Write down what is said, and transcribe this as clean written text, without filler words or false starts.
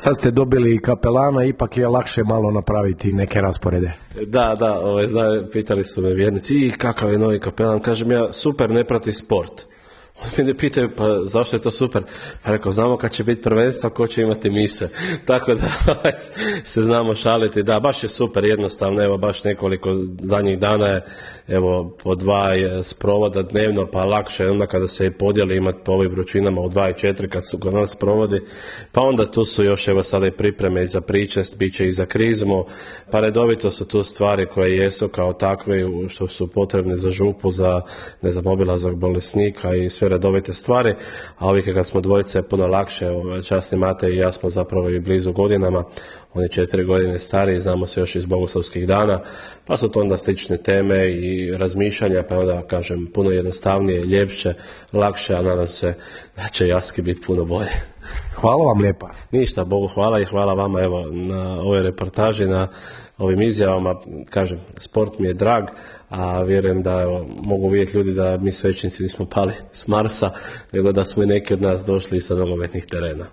Sad ste dobili kapelana, ipak je lakše malo napraviti neke rasporede. Da, pitali su me vjernici, i kakav je novi kapelan, kažem ja, super, ne prati sport. Oni me pitaju, pa zašto je to super? Pa rekao, znamo kad će biti prvenstvo, ko će imati mise. Tako da se znamo šaliti. Da, baš je super, jednostavno, evo baš nekoliko zadnjih dana je, evo, po 2 sprovoda dnevno, pa lakše onda kada se i podijeli imati po ovim vrućinama u 2 i 4 kad su kod nas sprovodi. Pa onda tu su još, evo sada i pripreme i za pričest, bit će i za krizmu, pa redovito su tu stvari koje jesu kao takve, što su potrebne za župu, za, ne znam, obilazak bolesnika i sve redovite stvari, a ovih kad smo dvojice je puno lakše, časni Matej i ja smo zapravo i blizu godinama, on je 4 godine stariji, znamo se još iz bogoslovskih dana, pa su to onda slične teme i razmišljanja, pa onda kažem puno jednostavnije, ljepše, lakše, a nadam se da će Jaski biti puno bolje. Hvala vam lijepa. Ništa, Bogu hvala i hvala vama evo na ovoj reportaži, na ovim izjavama. Kažem, sport mi je drag, a vjerujem da evo, mogu vidjeti ljudi da mi svećnici nismo pali s Marsa, nego da smo i neki od nas došli sa nogometnih terena.